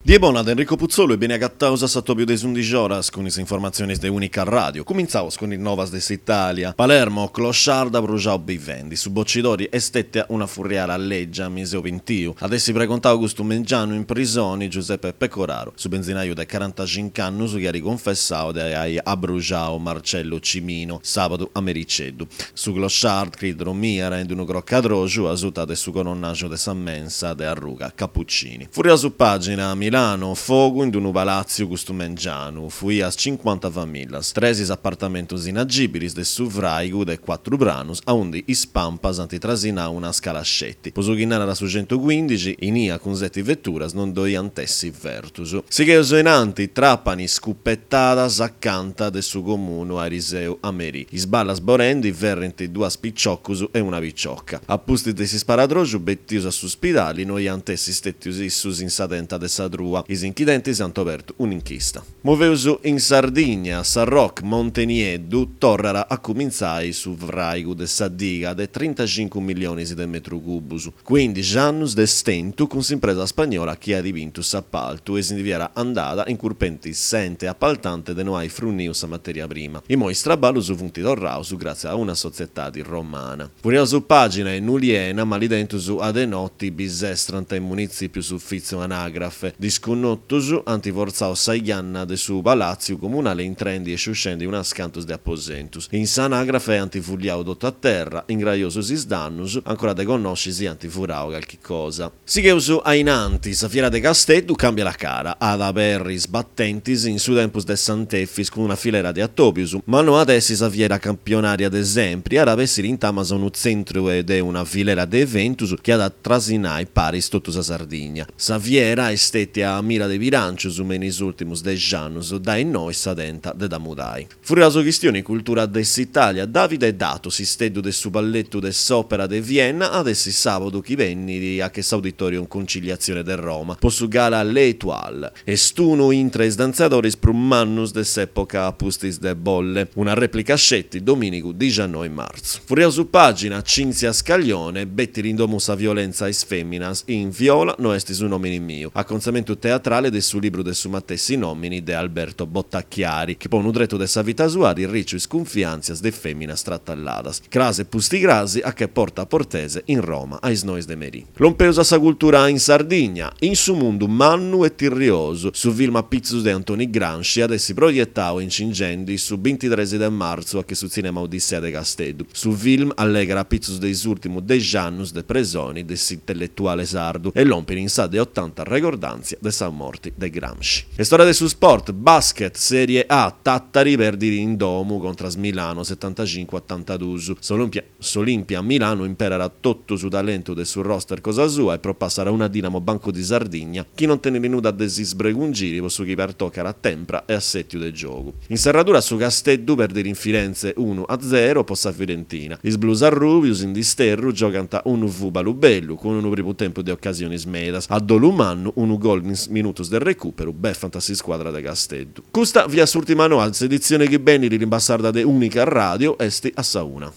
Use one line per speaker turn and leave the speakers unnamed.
Die bona de Enrico Putzolu e beni agataus a s'atobiu de is undixi oras cun is informatzionis de Unica Radio. Cumintzaus cun is novas de s'Italia. Palermo, clochard abruxau bivendi. Su bocidori est stètia una furriara lègia, mi seu pintiu. At essi pregontau custu mengianu in prisoni Giuseppe Pecoraro, su benzinaju de carantaxinc'annus chi at cunfessau de ai abruxau Marcello Cimino sàbadu a mericeddu. Su clochard, chi dromiat in unu crocadroxu asuta de su coronnaxu de sa mensa de arruga Cappuccini. Furriaus pàgina, Milano, fogu in unu palàtziu custu mengianu, fuias cincuanta famìllias, tres is apartamentus inagìbilis de su fràigu de cuatru pranus aundi is pampas ant trasinau una scala sceti. Po su chi narat su centucuindixi, inia cun seti veturas non ddoi ant essi fertus. Sigheus in anti, Trapani, scupetadas acanta de su comunu ariseu a merì. Is ballas bolendi ferrint duas piciocus e una picioca. A pustis de s'isparadroxu betius a su spidali no iant essi stètius issus in sa tenta de sa trua. Is inchidentis ant obertu un'inchista. Moveus in Sardigna, Sarroch, Monte Nieddu, torrat a cumintzai su fràigu de sa diga de trintaxincu millionis de metru cubus. Cuindixi annus de stentu cun s'impresa spagnola chi at bintu s'apaltu e si ndi fiat andada incurpendi s'ente apaltante de no ai fruniu sa materia prima. Imoi is traballus funt torraus gràtzias a una sotzietadi romana. Furriaus pàgina in Uliena, malidentus a de noti bisestrant in munitzìpiu s'ufìtziu anàgrafe. Disconnotus ant fortzau sa janna de su palàtziu comunale intrendi e sciuscendi unas cantus de aposentus. In s'anàgrafe ant fulliau totu a terra, ingraiosus is dannus, ancora de connosci si ant furau calchi cosa. Sigheus a in antis, sa fiera de Casteddu càmbiat cara, at a aberri is batentis in su tempus de Sant'Efis cun una filera de atòbius, ma no at essi sa fiera campionària de sempri, at a bessiri intamas unu tzentru de una filera de eventus chi at a trasinai paris totu sa Sardigna. Sa fiera est stètia a mira de bilàncius me in is ùrtimus dex'annus, dae innoi sa tenta de dda mudai. Furriaus chistioni cultura de s'Italia, Davide Dato, s'isteddu de su balletu de s'Òpera de Vienna, at essi sàbadu chi benit a che s'Auditorium Conciliazione de Roma po su gala L'Étoile. Est unu intre is dantzadoris prus mannus de s'època a pustis de Bolle. Una rèplica sceti domìnigu dixannoi martzu. Furriaus pàgina, Cinzia Scaglione, betiri in domu sa violentza a is fèminas in Viola no est su nòmini miu, acontzamentu teatrale de su libru de su matessi nòmini de Alberto Bottacchiari, chi po unu tretu de sa vita sua at irriciu is cunfiàntzias de fèminas tratalladas. Cras e pusticras a che Porta Portese in Roma a is nois de merì. Lompeus a sa cultura in Sardigna, in su mundu mannu e tirriosu, su film a pitzus de Antoni Gramsci at essi proietau incingendi su bintitres de martzu a che su Tzìnema Odissea de Casteddu. Su film allegat a pitzus de is ùrtimus dex'annus de presoni de s'intelletuale sardu e lompit in sa de otanta regordàntzia de sa morti de Gramsci. Est ora de su sport, basket, Sèrie A, Tàtari perdit in domu contras Milano setantacincu a otantadus. S'Olimpia Milano imperat totu su talentu de su roster cosa sua e propassat una Dinamo Banco di Sardigna chi non tenit nudda de si sbregungiri po su chi pertocat a tempra e assètiu de giogu. In serradura su Casteddu perdit in Firenze unu a zero po sa Fiorentina. Is blues arrùbius in disterru giogant unu fùbalu bellu, cun unu primu tempus de ocasionis medas. A dolu mannu unu gol in is minutus de recùperu befant s'iscuadra de Casteddu. Custa fiat s'ùrtima noa, s'editzione chi benit limba sarda de Unica Radio est a sa una.